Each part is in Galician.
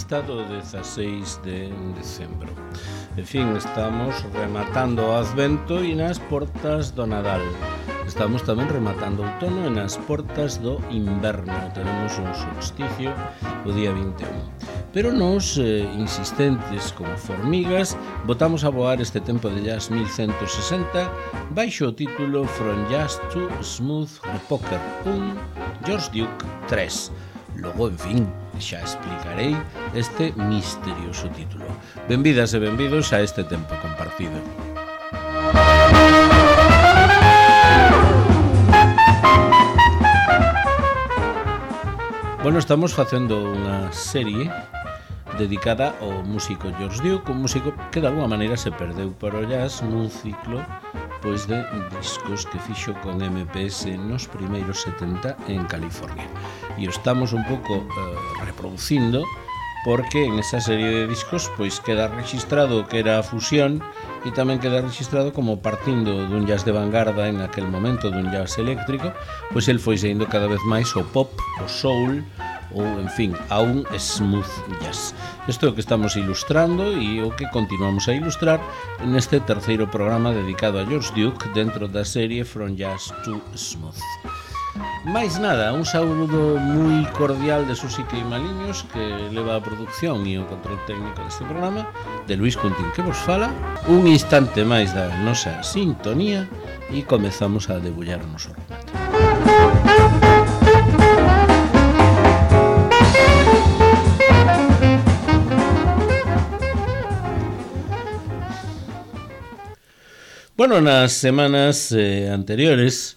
vista do 16 de decembro. En fin, estamos rematando o Advento e nas portas do Nadal. Estamos tamén rematando o outono e nas portas do inverno. Tenemos un solsticio o día 21. Pero nos, insistentes como formigas, botamos a voar este tempo de jazz 1160 baixo o título From Jazz to Smooth Poker, un George Duke 3. Logo, en fin, xa explicarei este misterioso título. Benvidas e benvidos a este tempo compartido. Bueno, estamos facendo unha serie dedicada ao músico George Duke, un músico que de alguma maneira se perdeu para o jazz nun ciclo pois de discos que fixo con MPS nos primeiros 70 en California. E o estamos un pouco reproducindo porque en esa serie de discos pois queda registrado que era a fusión e tamén queda registrado como partindo dun jazz de vanguarda en aquel momento, dun jazz eléctrico, pois el foi saindo cada vez máis o pop, o soul ou, en fin, a un smooth jazz. Isto é o que estamos ilustrando e o que continuamos a ilustrar neste terceiro programa dedicado a George Duke dentro da serie From Jazz to Smooth. Mais nada, un saúdo moi cordial de Susi Queimaliños, que leva a producción e o control técnico deste programa, de Luis Cuntín, que vos fala. Un instante máis da nosa sintonía e comezamos a debullar o noso remate. Bueno, nas semanas anteriores,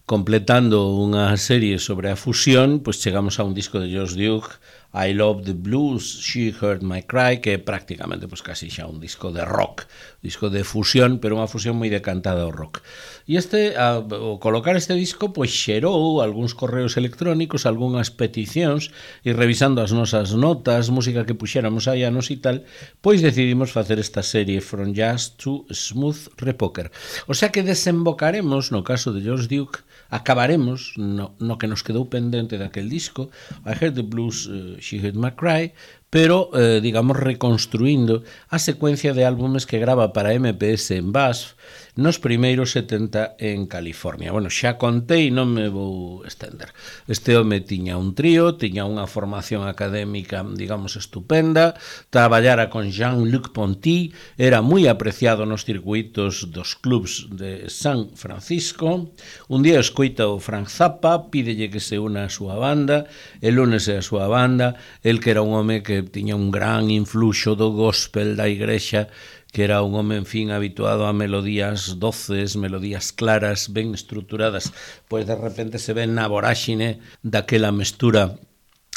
completando unha serie sobre a fusión, pois chegamos a un disco de George Duke, I Love the Blues, She Heard My Cry, que é prácticamente pois casi xa un disco de rock, disco de fusión, pero unha fusión moi decantada ao rock. E ao colocar este disco, pois xerou algúns correos electrónicos, algunhas peticións, e revisando as nosas notas, música que puxéramos hai anos e tal, pois decidimos facer esta serie From Jazz to Smooth Poker. O sea que desembocaremos, no caso de George Duke, acabaremos no que nos quedou pendente daquel disco, I Heard the Blues, She Heard My Cry, pero, digamos, reconstruindo a secuencia de álbumes que grava para MPS en BASF nos primeiros 70 en California. Bueno, xa contei, non me vou estender. Este home tiña un trío, tiña unha formación académica, digamos, estupenda, traballara con Jean-Luc Ponty, era moi apreciado nos circuitos dos clubs de San Francisco. Un día escoita o Frank Zappa, pídelle que se una a súa banda, el únese a súa banda, el que era un home que tiña un gran influxo do gospel da igrexa, que era un home, en fin, habituado a melodías doces, melodías claras, ben estruturadas, pois de repente se ven na voráxine daquela mestura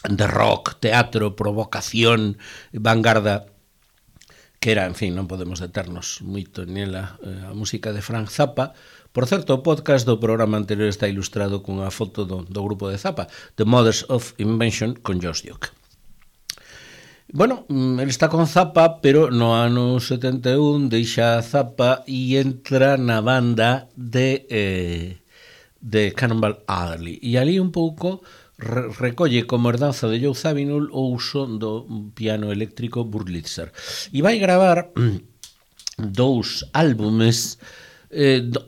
de rock, teatro, provocación, vanguarda, que era, en fin, non podemos deternos moito nela, a música de Frank Zappa. Por certo, o podcast do programa anterior está ilustrado cunha foto do grupo de Zappa, The Mothers of Invention, con George Duke. Bueno, ele está con Zappa, pero no ano 71 deixa a Zappa e entra na banda de Cannonball Adderley. E ali un pouco recolle como herdanza de Joe Zawinul o uso do piano eléctrico Wurlitzer. E vai gravar dous álbumes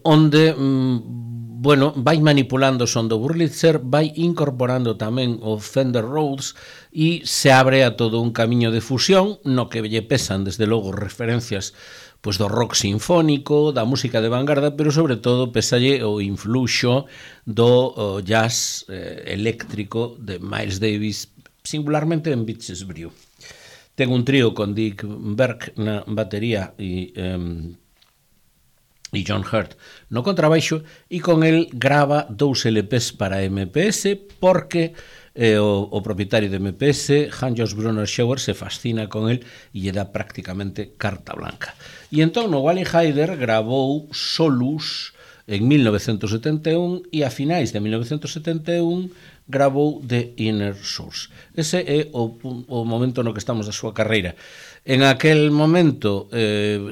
onde vai manipulando o son do Wurlitzer, vai incorporando tamén o Fender Rhodes e se abre a todo un camiño de fusión no que lle pesan, desde logo, referencias pois do rock sinfónico, da música de vanguarda, pero sobre todo pesalle o influxo do jazz eléctrico de Miles Davis, singularmente en Beaches Brew. Ten un trío con Dick Berg na batería e John Hurt no contrabaixo, e con el grava 2 LPs para MPS porque o propietario de MPS, Hans-Jost Brunner Schauer, se fascina con el e lle dá prácticamente carta blanca. E entón no Wally Heider gravou Solus en 1971 e a finais de 1971 grabou The Inner Source. Ese é o momento no que estamos da súa carreira. En aquel momento,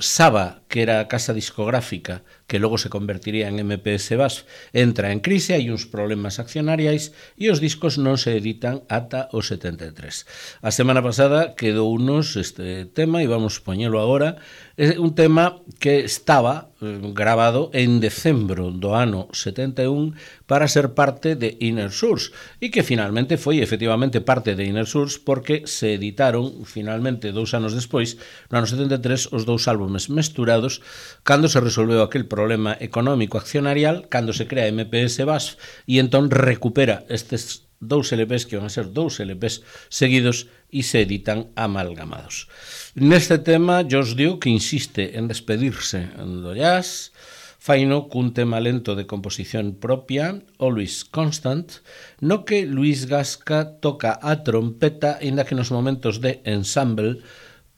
Saba, que era a casa discográfica que logo se convertiría en MPS BASF, entra en crise, hai uns problemas accionariais e os discos non se editan ata o 73. A semana pasada quedou unos este tema e vamos poñelo agora. É un tema que estaba grabado en decembro do ano 71 para ser parte de Inner Source e que finalmente foi efectivamente parte de Inner Source porque se editaron finalmente 2 anos despois, no ano 73, os 2 álbumes mesturados cando se resolveu aquel problema económico accionarial, cando se crea MPS BASF e entón recupera estes 2 LPs que van a ser 2 LPs seguidos e se editan amalgamados. Neste tema, George Duke insiste en despedirse do jazz, faino cun tema lento de composición propia, Always Constant, no que Luis Gasca toca a trompeta, inda que nos momentos de ensemble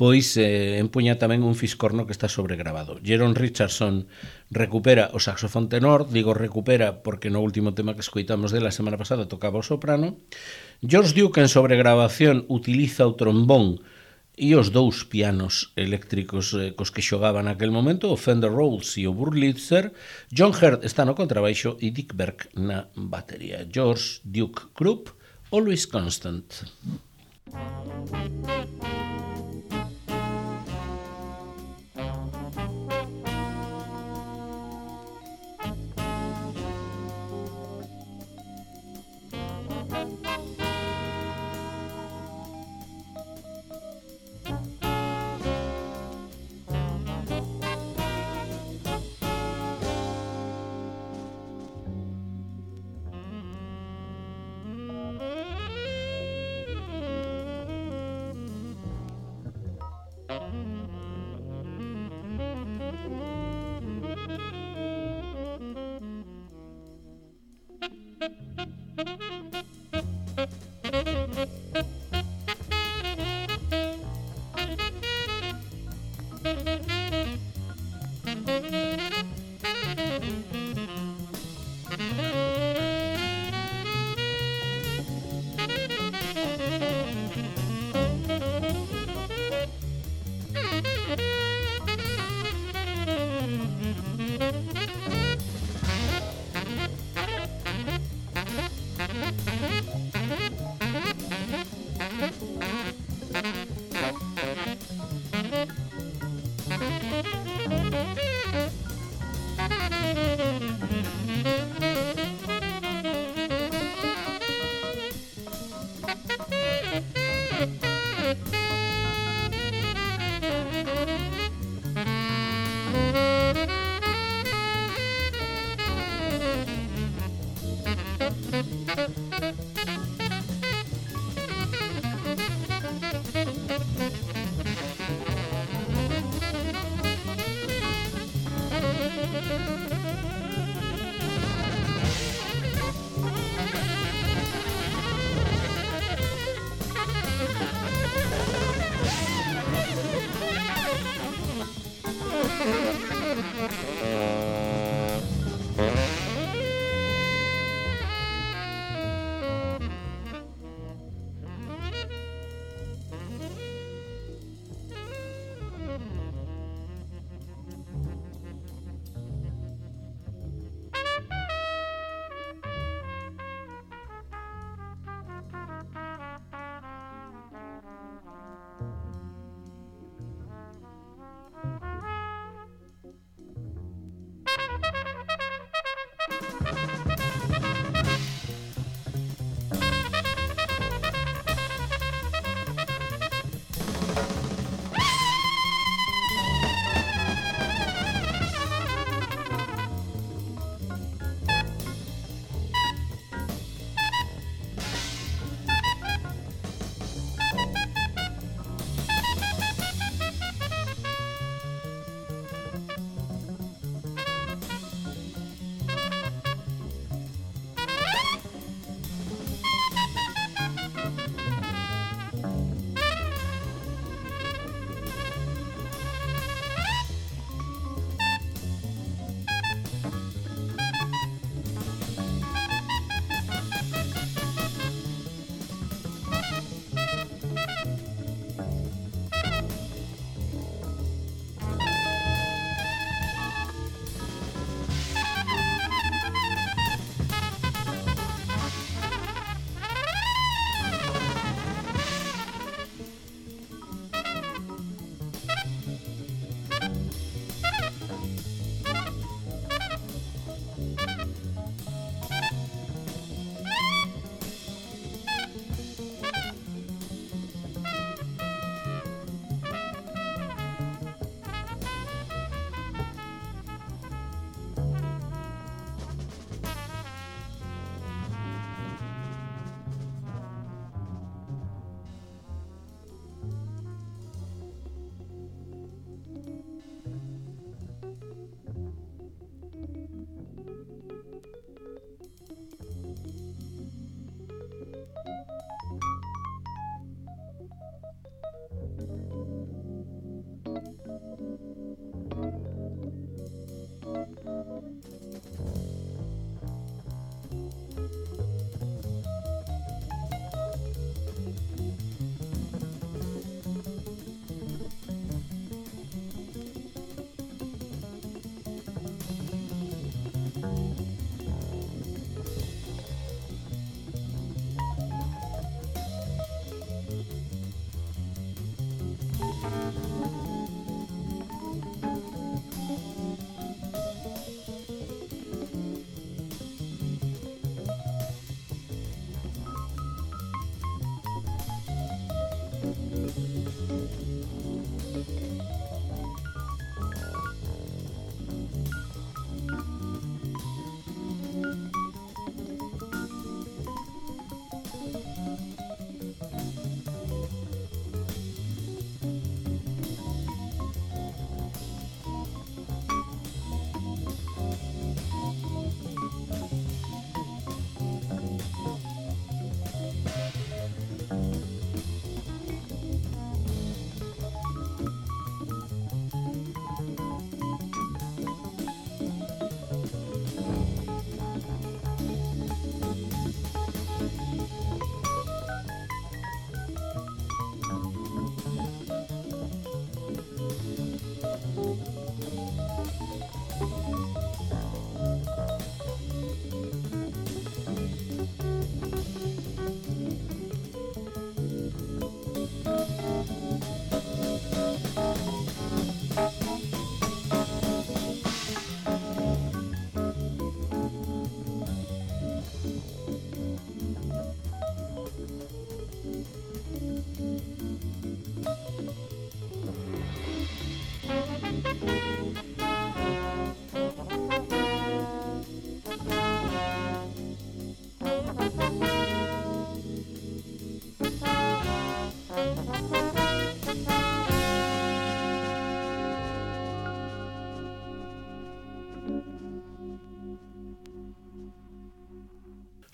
pois empuña tamén un fiscorno que está sobregrabado. Jeron Richardson recupera o saxofón tenor, digo recupera porque no último tema que escoitamos dela semana pasada tocaba o soprano. George Duke en sobregrabación utiliza o trombón e os 2 pianos eléctricos cos que xogaba naquel momento, o Fender Rhodes e o Wurlitzer. John Hurt está no contrabaixo e Dick Berg na batería. George Duke Group, Always Constant.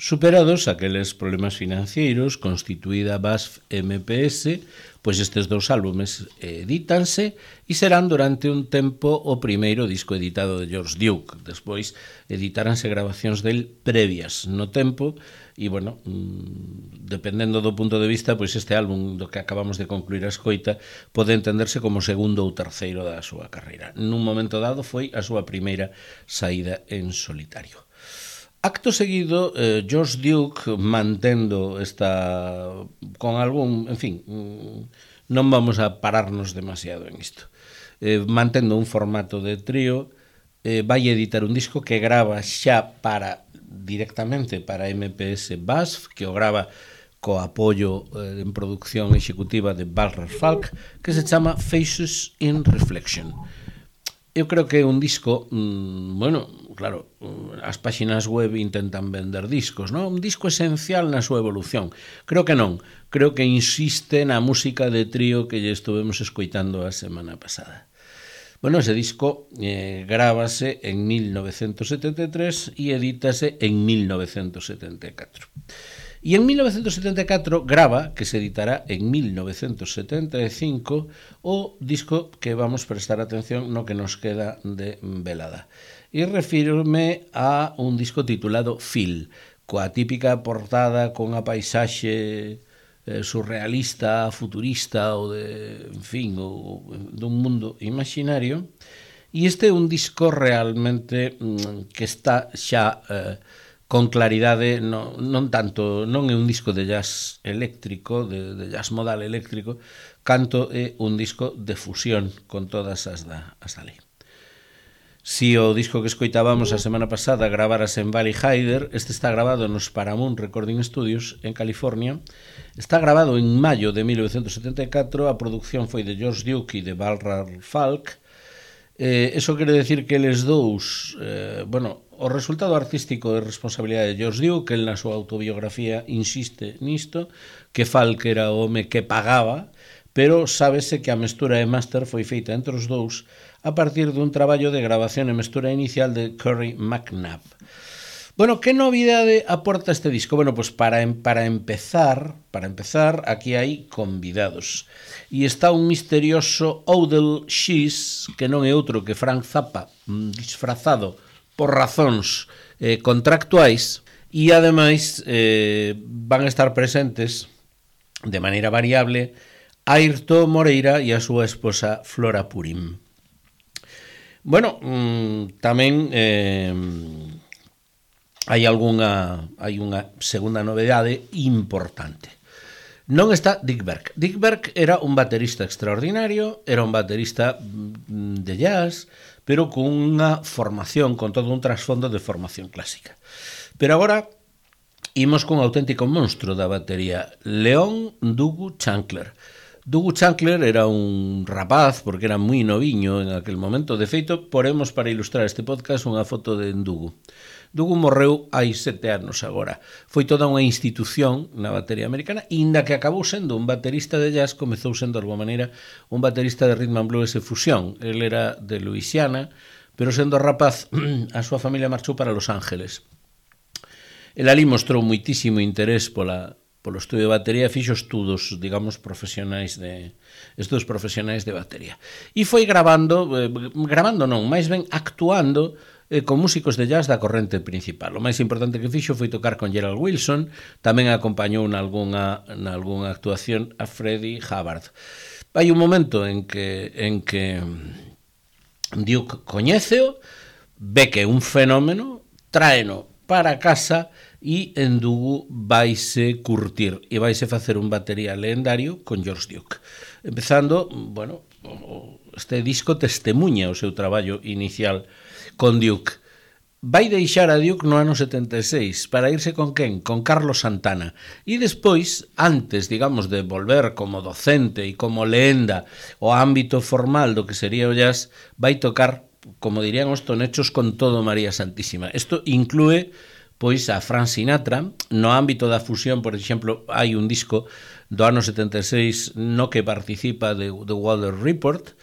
Superados aqueles problemas financeiros, constituída BASF MPS, pois estes dous álbumes edítanse e serán durante un tempo o primeiro disco editado de George Duke. Despois editaránse grabacións del previas no tempo e, bueno, dependendo do punto de vista, pois este álbum do que acabamos de concluir a escoita pode entenderse como segundo ou terceiro da súa carreira. Nun momento dado foi a súa primeira saída en solitario. Acto seguido, George Duke, mantendo esta con algún, en fin, non vamos a pararnos demasiado en isto, mantendo un formato de trío, vai editar un disco que grava xa directamente para MPS BASF, que o grava co apoio en producción executiva de Balrar Falk, que se chama Faces in Reflection. Eu creo que é un disco, bueno, claro, as páxinas web intentan vender discos, non? Un disco esencial na súa evolución. Creo que non. Creo que insiste na música de trío que lle estuvemos escoitando a semana pasada. Bueno, ese disco grábase en 1973 e edítase en 1974. E en 1974 grava, que se editará en 1975, o disco que vamos prestar atención no que nos queda de velada. E refírome a un disco titulado Phil, coa típica portada con a paisaxe surrealista, futurista ou de, en fin, dun mundo imaginario. E este é un disco realmente que está xa con claridade, non tanto, non é un disco de jazz eléctrico, de jazz modal eléctrico, canto é un disco de fusión con todas as da lei. Si o disco que escoitábamos a semana pasada gravarase en Valley Hyder, este está grabado nos Paramount Recording Studios en California. Está grabado en maio de 1974, a produción foi de George Duke e de Balrar Falk. Eso quere decir que eles dous, bueno, o resultado artístico é responsabilidade de George Duke, que el na súa autobiografía insiste nisto, que Falk era o home que pagaba, pero sábese que a mestura e máster foi feita entre os dous a partir dun traballo de grabación e mestura inicial de Curry McNabb. Bueno, que novidade aporta este disco? Bueno, pues para empezar, aquí hai convidados. E está un misterioso Odell Shees, que non é outro que Frank Zappa, disfrazado por razóns contractuais, e ademais van a estar presentes de maneira variable Airto Moreira e a súa esposa Flora Purim. Bueno, tamén hai unha segunda novedade importante. Non está Dick Berg. Dick Berg era un baterista extraordinario, era un baterista de jazz, pero con unha formación, con todo un trasfondo de formación clásica. Pero agora imos con un auténtico monstro da batería, Leon Dugu Chancler. Dougu Chancler era un rapaz, porque era moi noviño en aquel momento. De feito, poremos para ilustrar este podcast unha foto de Dougu. Dougu morreu hai 7 anos agora. Foi toda unha institución na batería americana, inda que acabou sendo un baterista de jazz, comezou sendo de alguma maneira un baterista de rhythm and blues e fusión. El era de Louisiana, pero sendo rapaz, a súa familia marchou para Los Ángeles. El ali mostrou moitísimo interés polo estudio de batería, fixo estudos, digamos, profesionais de batería. E foi gravando non, máis ben actuando con músicos de jazz da corrente principal. O máis importante que fixo foi tocar con Gerald Wilson, tamén acompañou nalgúnha actuación a Freddie Hubbard. Hai un momento en que Duke coñéceo, ve que é un fenómeno, tráeno para casa e en Dougu vaise curtir e vaise facer un batería legendario con George Duke. Empezando, este disco testemunha o seu traballo inicial con Duke. Vai deixar a Duke no ano 76 para irse con quen? Con Carlos Santana. E despois, antes, digamos, de volver como docente e como lenda ao ámbito formal do que sería o jazz, vai tocar, como dirían os tonechos, con todo María Santísima. Isto inclúe pois a Frank Sinatra. No ámbito da fusión, por exemplo, hai un disco do ano 76 no que participa de The Weather Report.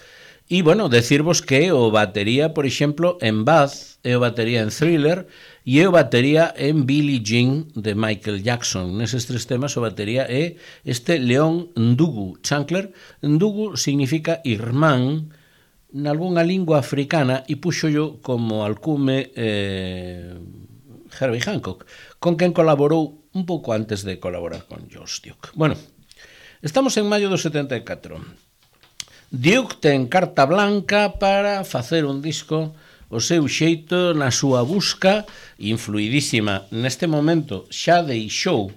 E, decirvos que o batería, por exemplo, en Bath, é o batería en Thriller e é o batería en Billie Jean de Michael Jackson. Neses 3 temas o batería é este Leon Dougu Chancler. Dougu significa irmán nalgúnha lingua africana e puxo yo como alcume Herbie Hancock, con quen colaborou un pouco antes de colaborar con George Duke. Estamos en maio do 74. Duke ten carta blanca para facer un disco o seu xeito, na súa busca, influidísima. Neste momento xa deixou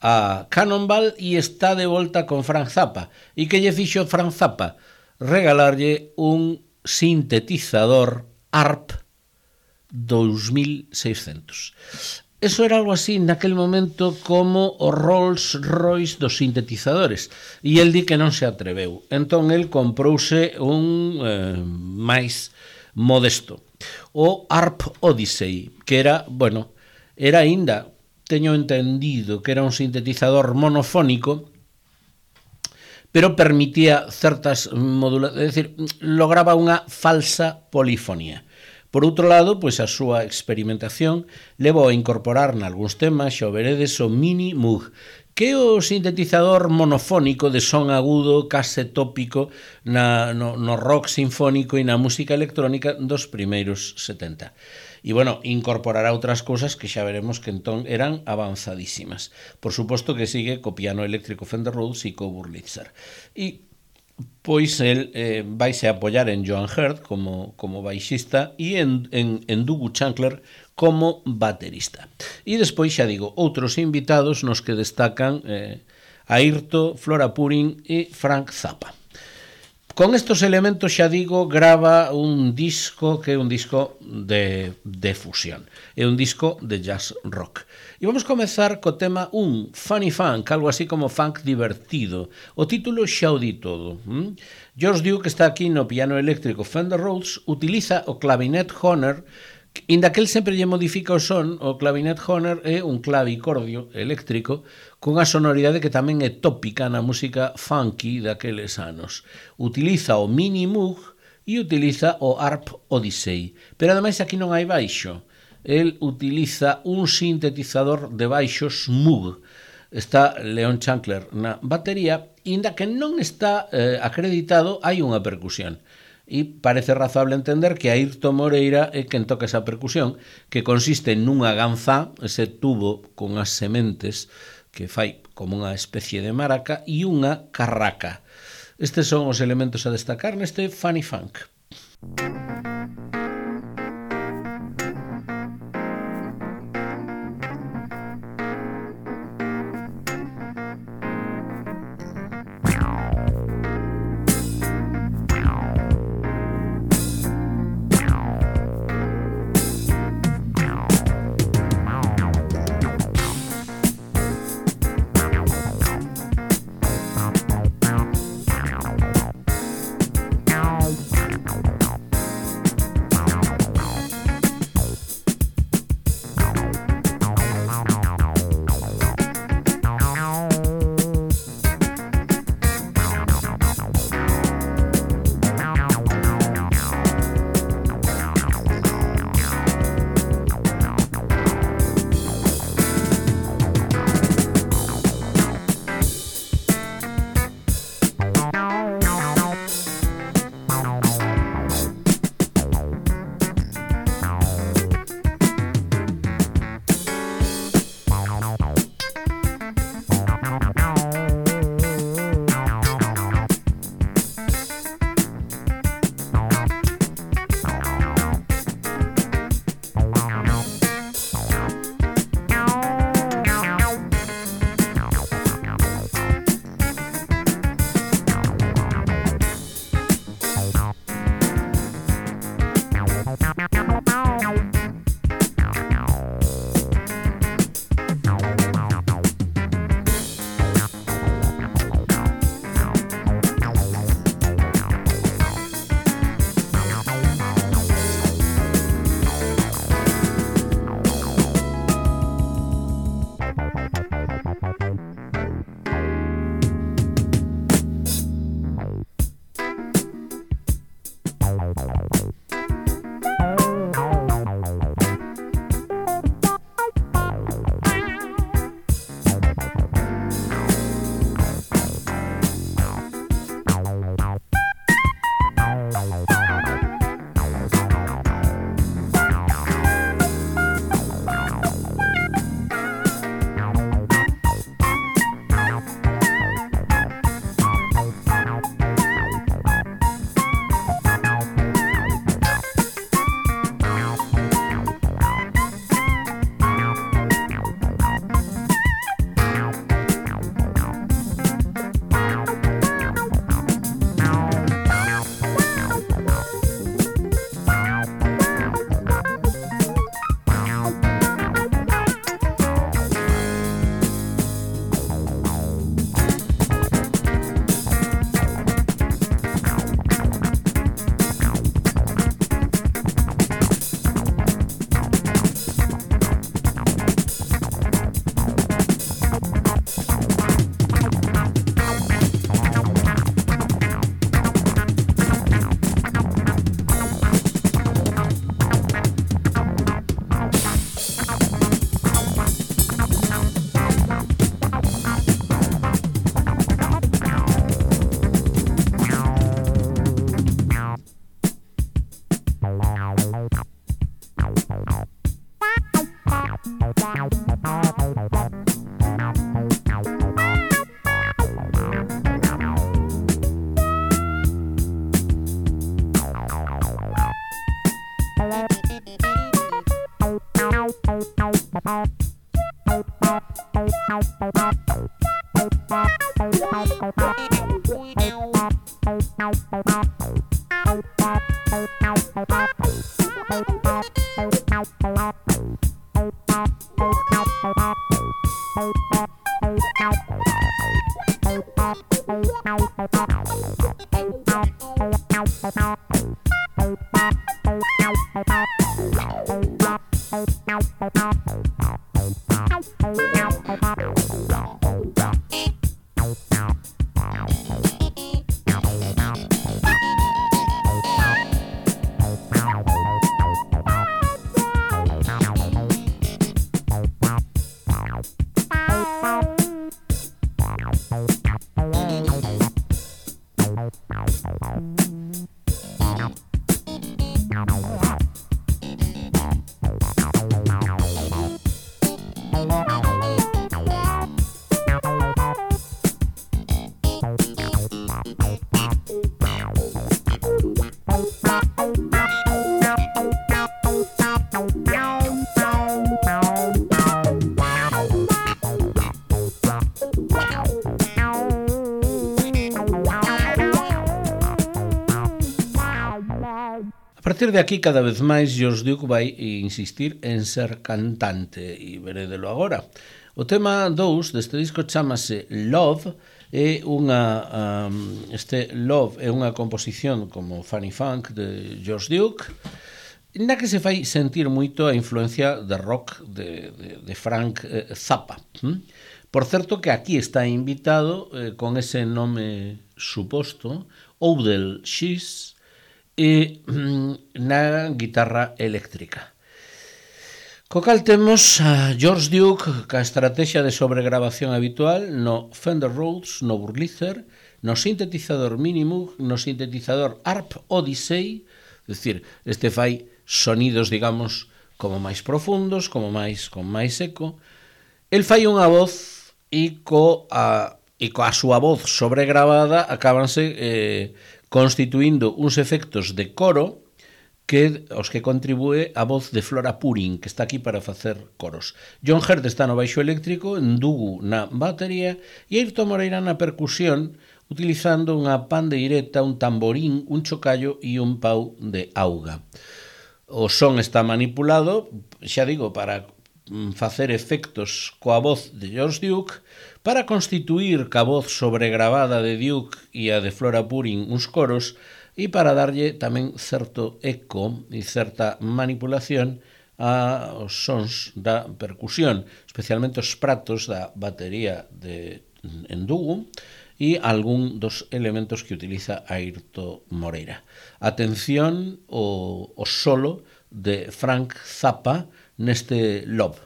a Cannonball e está de volta con Frank Zappa. E que lle fixo Frank Zappa? Regalarlle un sintetizador ARP 2600. Eso era algo así naquel momento como o Rolls Royce dos sintetizadores, e el di que non se atreveu. Entón el comprouse un máis modesto, o ARP Odyssey, que era aínda, teño entendido que era un sintetizador monofónico, pero permitía certas modulacións, é dicir, lograba unha falsa polifonía. Por outro lado, pois a súa experimentación levou a incorporar nalgúns temas, xa o veredes, o Mini Moog, que é o sintetizador monofónico de son agudo, case tópico, no rock sinfónico e na música electrónica dos primeiros 70. E, incorporará outras cousas que xa veremos que entón eran avanzadísimas. Por suposto que sigue co piano eléctrico Fender Rhodes e co Wurlitzer. E pois el vaise a apoiar en Joan Herd como baixista e en Dougu Chancler como baterista. E despois, xa digo, outros invitados nos que destacan Airto, Flora Purin e Frank Zappa. Con estos elementos, xa digo, grava un disco que é un disco de fusión. É un disco de jazz rock. E vamos comezar co tema Funny Funk, algo así como funk divertido. O título xa o di todo. George Duke está aquí no piano eléctrico Fender Rhodes, utiliza o clavinet Hohner, inda que el sempre lle modifica o son. O clavinet Hohner é un clavicordio eléctrico cunha sonoridade que tamén é tópica na música funky daqueles anos. Utiliza o Mini Moog e utiliza o ARP Odyssey, pero ademais aquí non hai baixo. El utiliza un sintetizador de baixos Moog. Está Leon Chancler na batería, inda que non está acreditado, hai unha percusión. E parece razable entender que Airto Moreira é quen toca esa percusión, que consiste nunha ganzá, ese tubo con as sementes que fai como unha especie de maraca, e unha carraca. Estes son os elementos a destacar neste Funny Funk. A partir de aquí, cada vez máis, George Duke vai insistir en ser cantante, e verédelo agora. O tema 2 deste disco chamase Love, este Love é unha composición como Funny Funk de George Duke, na que se fai sentir moito a influencia de rock de Frank Zappa. Por certo que aquí está invitado con ese nome suposto, Odell Shees, e na guitarra eléctrica. Co cal temos a George Duke ca estrategia de sobregrabación habitual no Fender Rhodes, no Wurlitzer, no sintetizador Minimoog, no sintetizador ARP Odyssey, é dicir, este fai sonidos, digamos, como máis profundos, con máis eco. El fai unha voz e coa súa voz sobregravada acábanse constituindo uns efectos de coro os que contribúe a voz de Flora Purin, que está aquí para facer coros. John Hurt está no baixo eléctrico, Ndugu na batería e Ayrton Moreira na percusión, utilizando unha pandeireta, un tamborín, un chocallo e un pau de auga. O son está manipulado, xa digo, para facer efectos coa voz de George Duke, para constituir ca voz sobregravada de Duke e a de Flora Purin uns coros, e para darlle tamén certo eco e certa manipulación aos sons da percusión, especialmente os pratos da batería de Ndugu e algún dos elementos que utiliza Ayrton Moreira. Atención ao solo de Frank Zappa neste Love.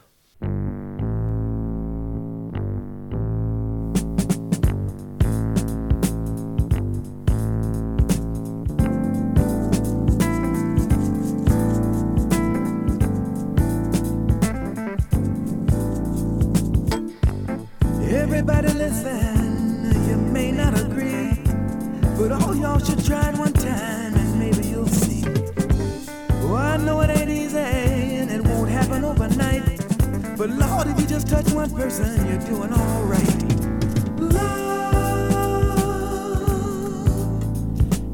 Everybody listen, you may not agree, but all y'all should try it one time and maybe you'll see. Oh, I know it ain't easy and it won't happen overnight, but Lord, if you just touch one person, you're doing all right. Love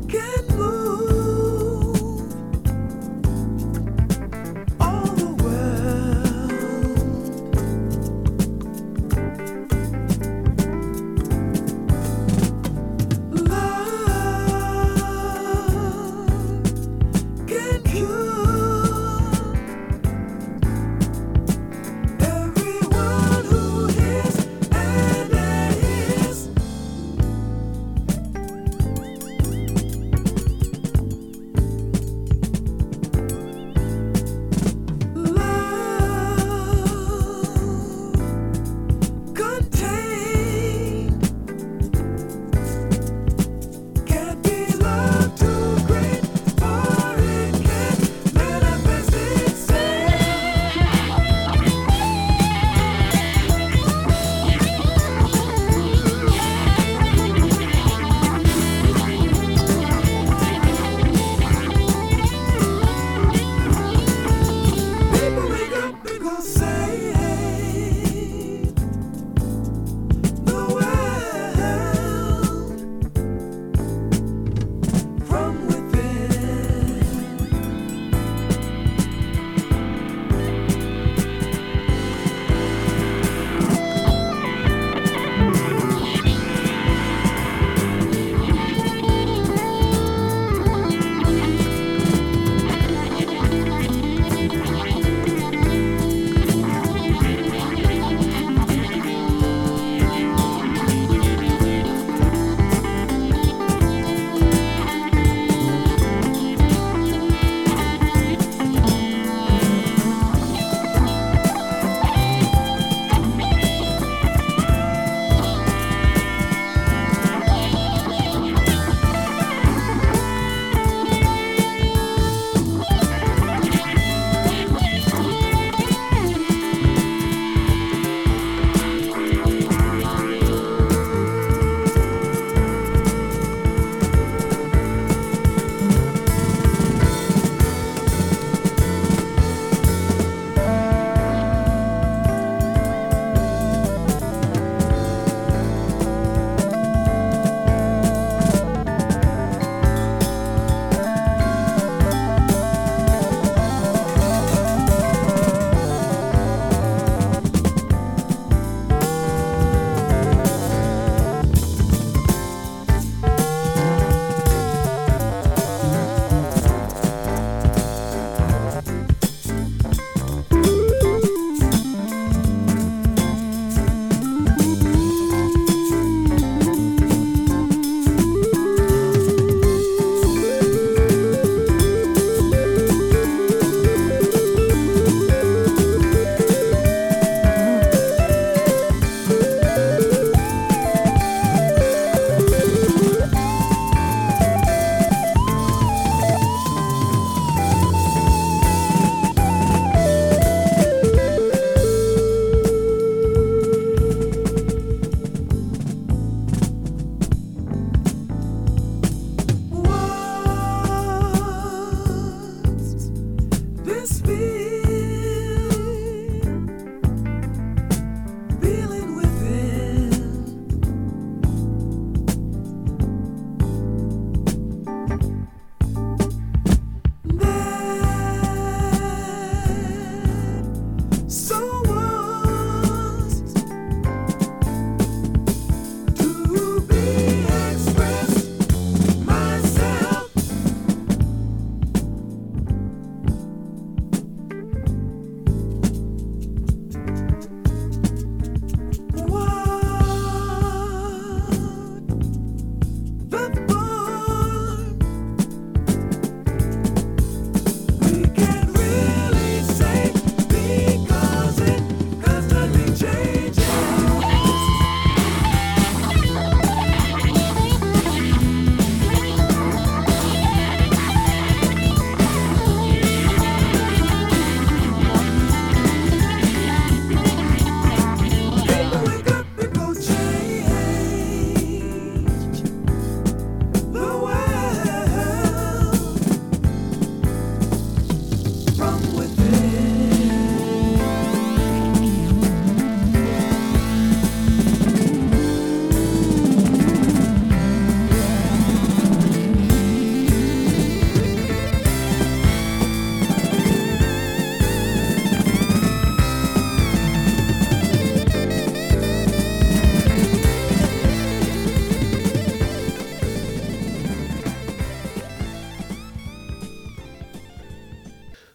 can move all the world. Everyone who hears and that is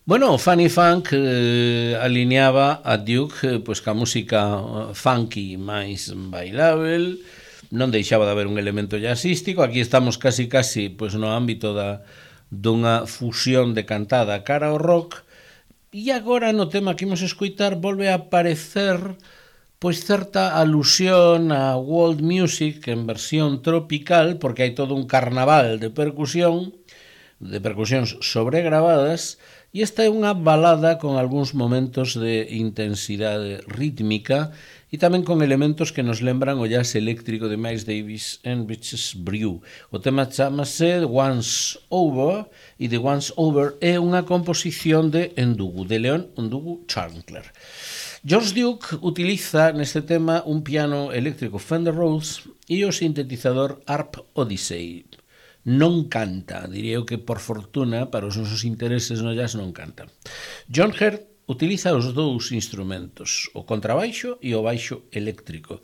Bueno, Funny Funk alineaba a Duke pois ca música funky máis bailável, non deixaba de haber un elemento jazzístico. Aquí estamos casi pois no ámbito dunha fusión de cantada cara ao rock, e agora no tema que imos escoitar volve a aparecer pois certa alusión a world music en versión tropical, porque hai todo un carnaval de percusións sobregravadas. E esta é unha balada con algúns momentos de intensidade rítmica e tamén con elementos que nos lembran o jazz eléctrico de Miles Davis en Bitches Brew. O tema chamase Once Over, e The Once Over é unha composición de Ndugu, de Leon Ndugu Chandler. George Duke utiliza neste tema un piano eléctrico Fender Rhodes e o sintetizador Harp Odyssey. Non canta, diría eu que por fortuna para os nosos intereses no jazz non canta. John Hurt utiliza os dous instrumentos, o contrabaixo e o baixo eléctrico.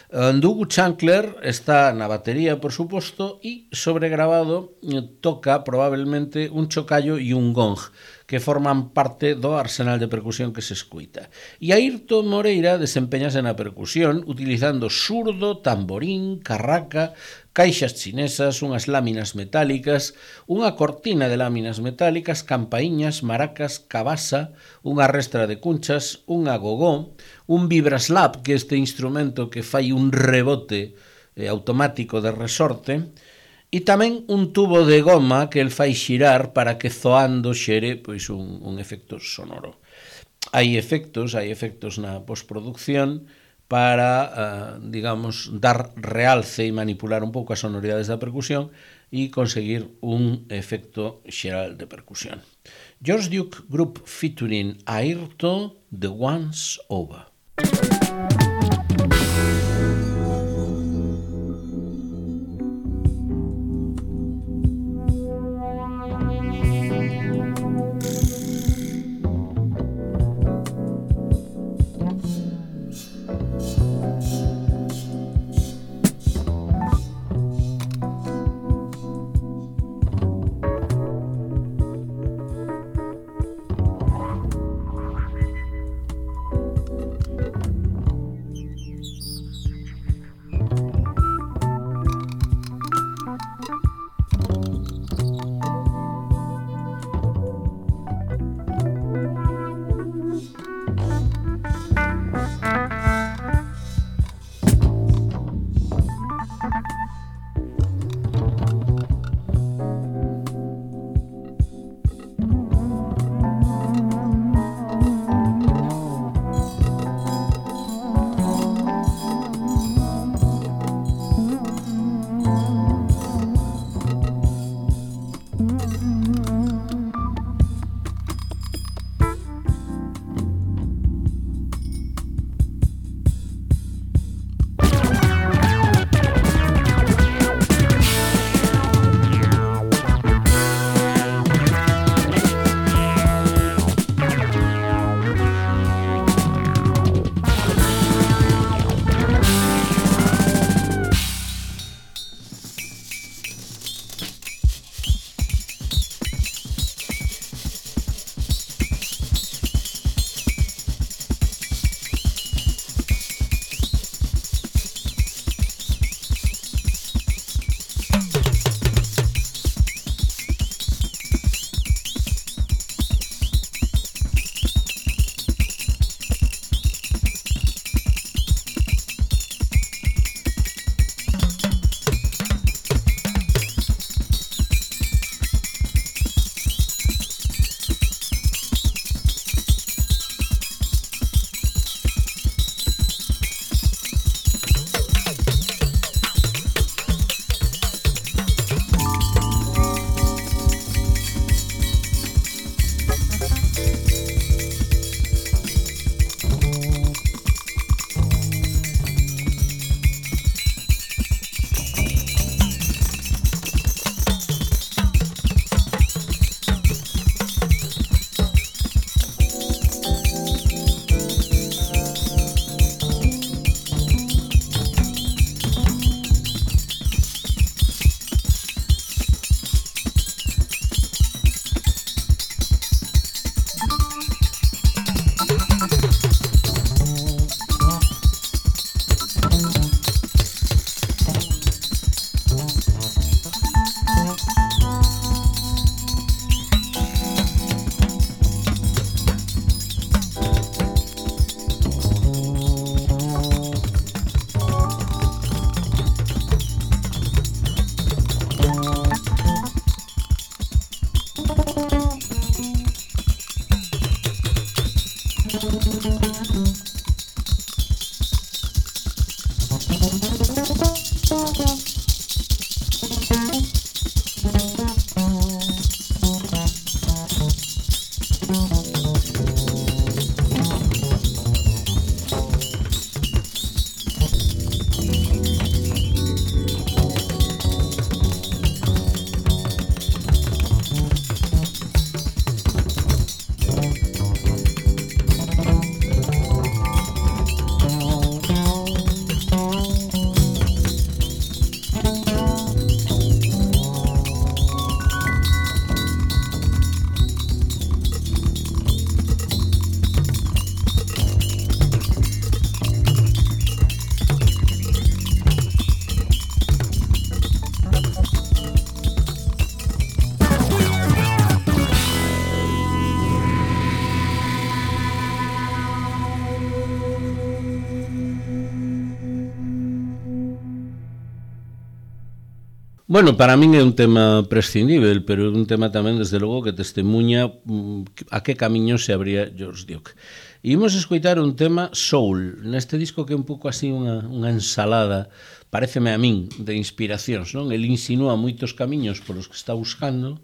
Ndugu Chandler está na batería, por suposto, e sobregravado toca probablemente un chocallo e un gong, que forman parte do arsenal de percusión que se escuita. E Airto Moreira desempeñase na percusión utilizando surdo, tamborín, carraca, caixas chinesas, unhas láminas metálicas, unha cortina de láminas metálicas, campaíñas, maracas, cabasa, unha restra de cunchas, un agogó, un vibraslap, que é este instrumento que fai un rebote automático de resorte, e tamén un tubo de goma que el fai xirar para que zoando xere pois un efecto sonoro. Hai efectos na postproducción para, digamos, dar realce e manipular un pouco as sonoridades da percusión e conseguir un efecto xeral de percusión. George Duke Group featuring Airto, The Once Over. Bueno, para min é un tema prescindível, pero é un tema tamén, desde logo, que testemunha a que camiño se abría George Duke. E imos escoitar un tema soul, neste disco que é un pouco así unha ensalada, pareceme a min, de inspiracións, non? El insinúa moitos camiños polos que está buscando,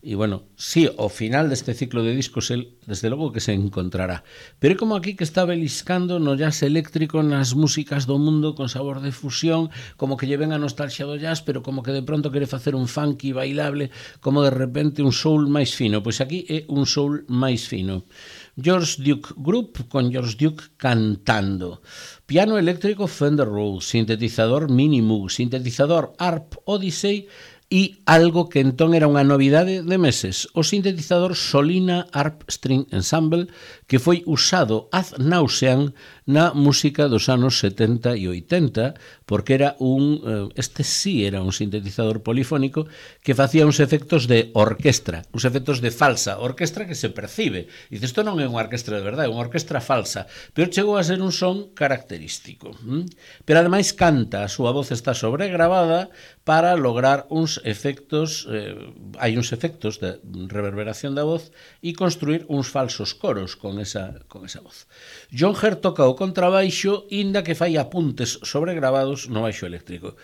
e, bueno, sí, ao final deste ciclo de discos, el, desde logo, que se encontrará. Pero é como aquí que está beliscando no jazz eléctrico, nas músicas do mundo con sabor de fusión, como que lle ven a nostalgia do jazz, pero como que de pronto quere facer un funky bailable, como de repente un soul máis fino. Pois aquí é un soul máis fino. George Duke Group, con George Duke cantando. Piano eléctrico Fender Rhodes, sintetizador Mini Moog, sintetizador Harp Odyssey, e algo que entón era unha novidade de meses, o sintetizador Solina Harp String Ensemble, que foi usado ad nauseam na música dos anos 70 e 80, porque era este sí era un sintetizador polifónico que facía uns efectos de orquestra, uns efectos de falsa orquestra que se percibe. E isto non é unha orquestra de verdade, é unha orquestra falsa, pero chegou a ser un son característico. Pero ademais canta, a súa voz está sobregravada para lograr uns efectos, hai uns efectos de reverberación da voz e construir uns falsos coros con esa voz. John Hurt toca o contrabaixo, inda que fai apuntes sobregravados no baixo eléctrico.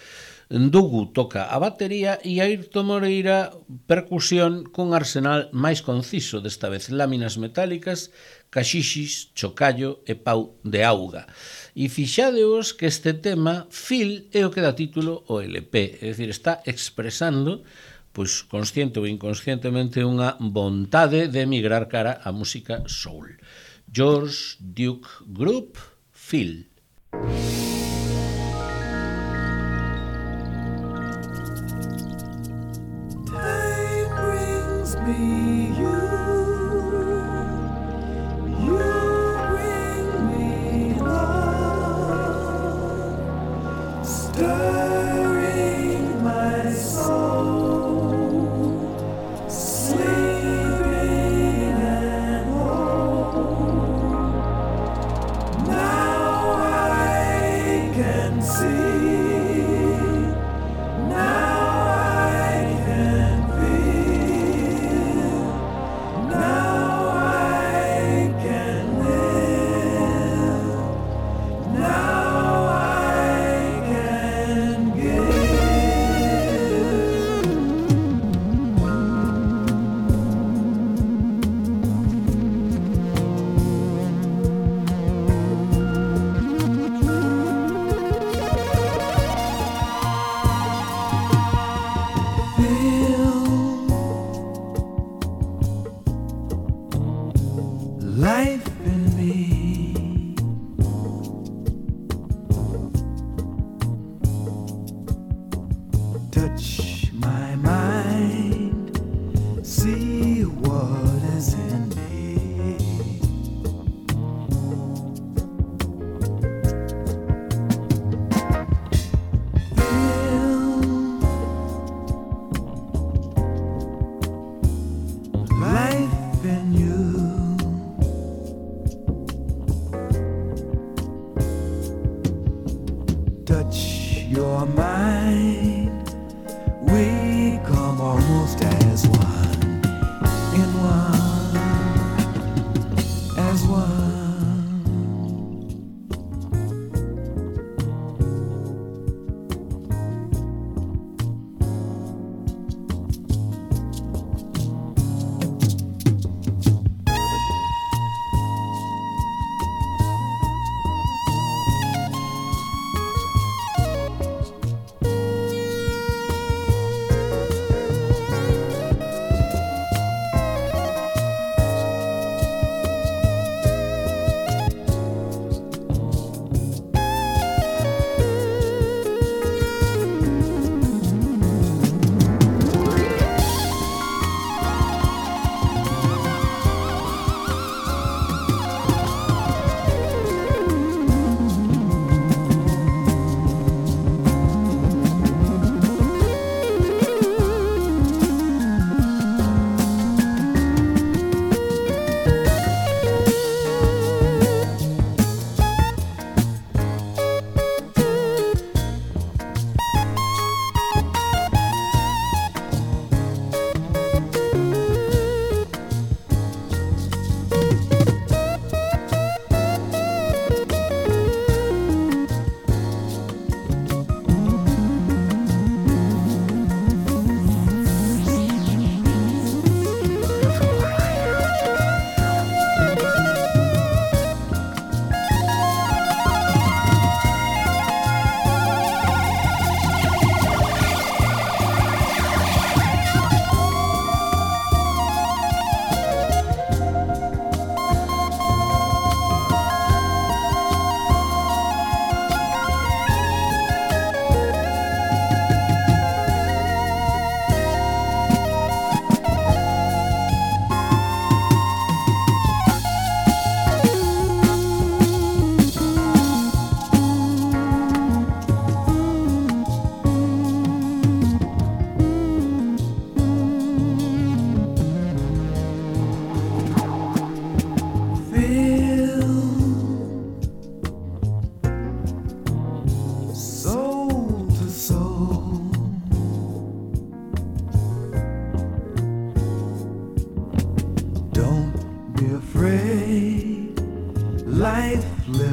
Ndugu toca a batería e Airto Moreira percusión cun arsenal máis conciso, desta vez láminas metálicas, caxixis, chocallo e pau de auga. E fixadeos que este tema, Feel, é o que dá título ao LP, é dicir, está expresando, pois consciente ou inconscientemente, unha vontade de emigrar cara á música soul. George Duke Group, Feel. Time brings me you. Stirring my soul, sleeping and whole. Now I can see, now I can feel, now I can live, now life in me. Touch my mind, see what is in me. Feel life in you. Touch your mind, we come almost as one, in one, as one.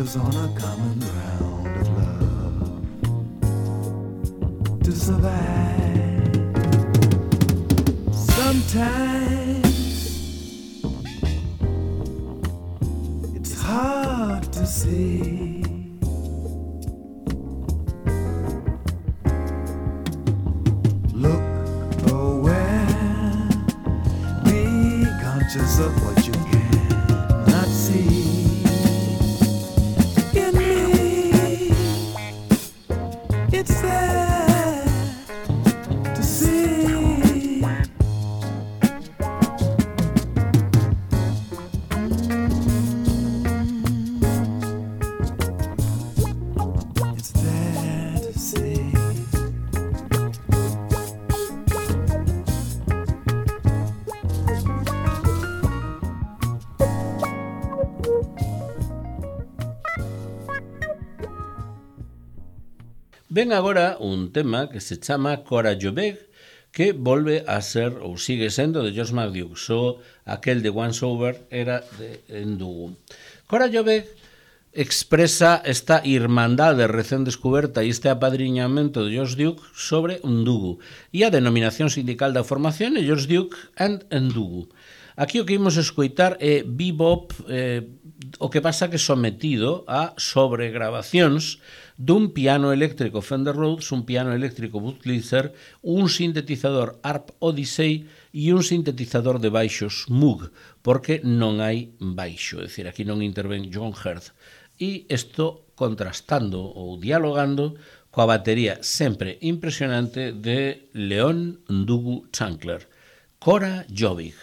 strangers on a common ground of love to survive. Sometimes it's hard to see. Look aware, be conscious of what you cannot see. In me, it's there to see. It's there to see. Ven agora un tema que se chama Cora Joveg, que volve a ser, ou sigue sendo, de George McDuke. Só aquel de Once Over era de Ndugu. Cora Joveg expresa esta irmandade recén descoberta e este apadriñamento de George Duke sobre Ndugu. E a denominación sindical da formación é George Duke and Ndugu. Aquí o que imos escoitar é bebop, o que pasa que sometido a sobregrabacións dun piano eléctrico Fender Rhodes, un piano eléctrico Budweiser, un sintetizador Harp Odyssey e un sintetizador de baixos Moog, porque non hai baixo, é dicir, aquí non intervén John Hurt. E isto contrastando ou dialogando coa batería sempre impresionante de Leon Ndugu Chancler. Cora Joveg.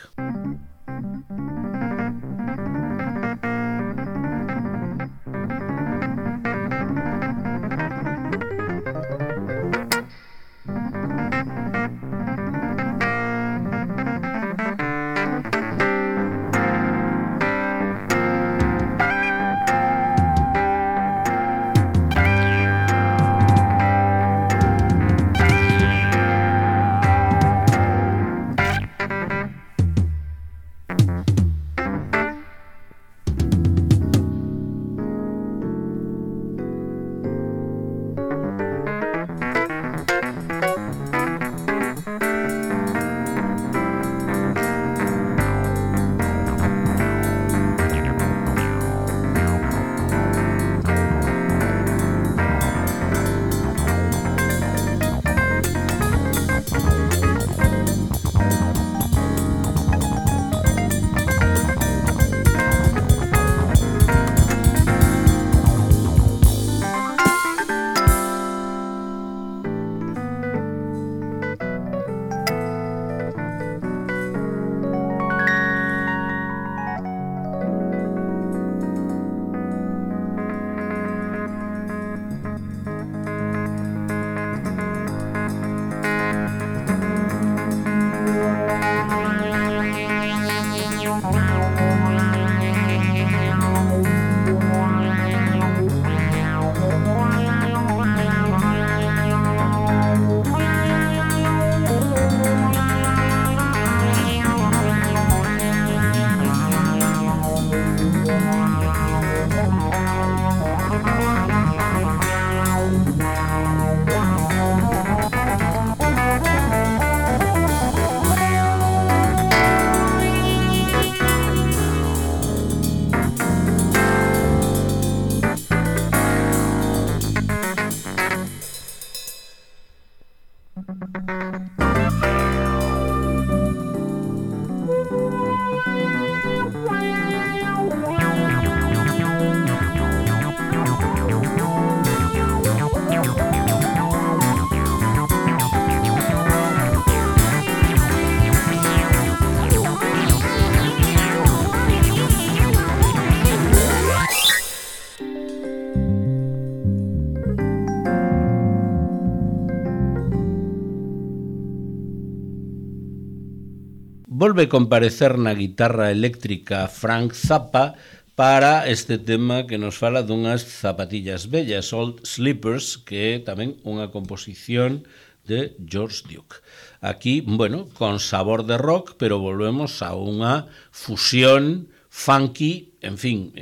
Volve comparecer na guitarra eléctrica Frank Zappa para este tema que nos fala dunhas zapatillas bellas, Old Slippers, que é tamén unha composición de George Duke. Aquí, bueno, con sabor de rock, pero volvemos a unha fusión funky, en fin,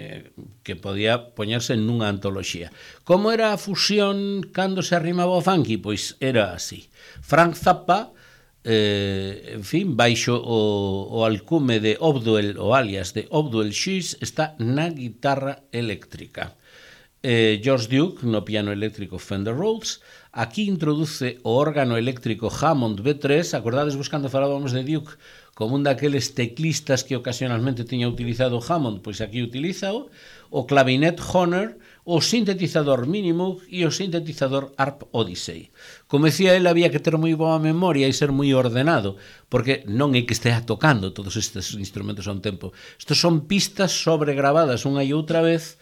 que podía poñerse nunha antoloxía. Como era a fusión cando se arrimaba o funky? Pois era así. Frank Zappa, en fin, baixo o alcume de Obduel, o alias de Obduel Shiz, está na guitarra eléctrica. George Duke no piano eléctrico Fender Rhodes. Aquí introduce o órgano eléctrico Hammond B3. Acordades vos cando falábamos de Duke como un daqueles teclistas que ocasionalmente tiña utilizado Hammond? Pois aquí utilízao. O clavinet Honor, o sintetizador Minimoog e o sintetizador Harp Odyssey. Como decía él, había que ter moi boa memoria e ser moi ordenado, porque non é que estea tocando todos estes instrumentos a un tempo. Estos son pistas sobregravadas unha e outra vez,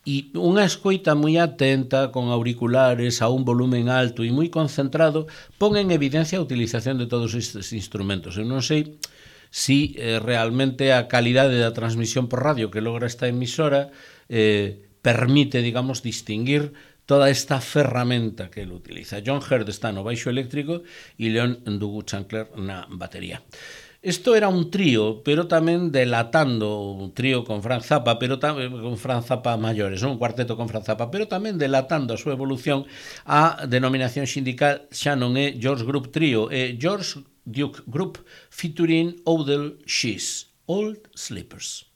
e unha escoita moi atenta, con auriculares a un volumen alto e moi concentrado, pon en evidencia a utilización de todos estes instrumentos. Eu non sei si realmente a calidade da transmisión por radio que logra esta emisora permite, digamos, distinguir toda esta ferramenta que ele utiliza. John Hurd está no baixo eléctrico e Leon Ndugu-Chancler na batería. Isto era un trío, pero tamén delatando un trío con Frank Zappa, pero tamén con Frank Zappa maiores, un cuarteto con Frank Zappa, pero tamén delatando a súa evolución a denominación sindical xa non é George Group Trio, é George Duke Group featuring Odell Shiz, Old Slippers.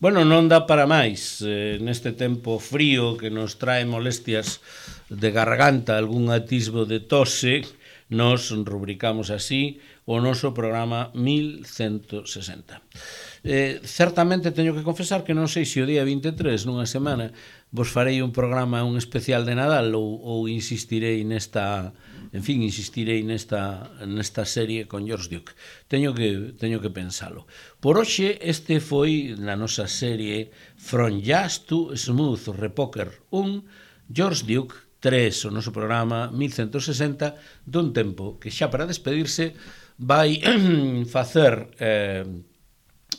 Bueno, non dá para máis neste tempo frío que nos trae molestias de garganta, algún atisbo de tose. Nos rubricamos así o noso programa 1160. Certamente teño que confesar que non sei se o día 23 nunha semana vos farei un programa, un especial de Nadal ou insistirei nesta serie con George Duke. Teño que pensalo. Por hoxe este foi na nosa serie From Jazz to Smooth Repoker 1, George Duke 3, o noso programa 1160, dun tempo que xa para despedirse vai facer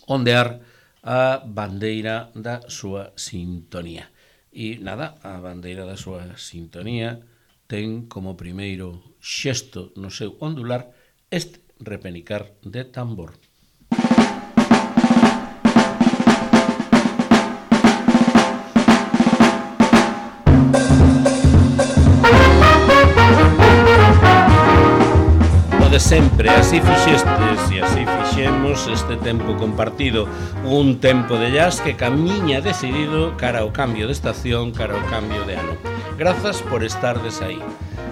ondear a bandeira da súa sintonía. E nada, a bandeira da súa sintonía ten como primeiro xesto no seu ondular este repenicar de tambor. De sempre, así fixestes e así fixemos este tempo compartido, un tempo de jazz que camiña decidido cara ao cambio de estación, cara ao cambio de ano. Grazas por estardes aí.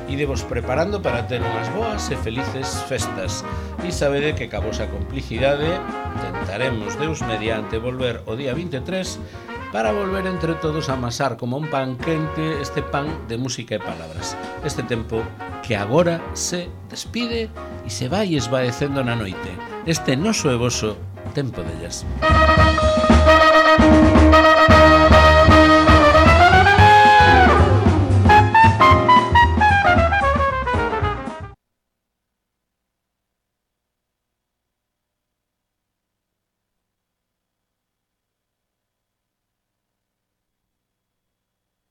Idevos preparando para ter unhas boas e felices festas e sabede que ca vosa complicidade tentaremos Deus mediante volver o día 23 para volver entre todos a amasar como un pan quente este pan de música e palabras. Este tempo que agora se despide e se vai esvaecendo na noite. Este noso e voso tempo de jazz.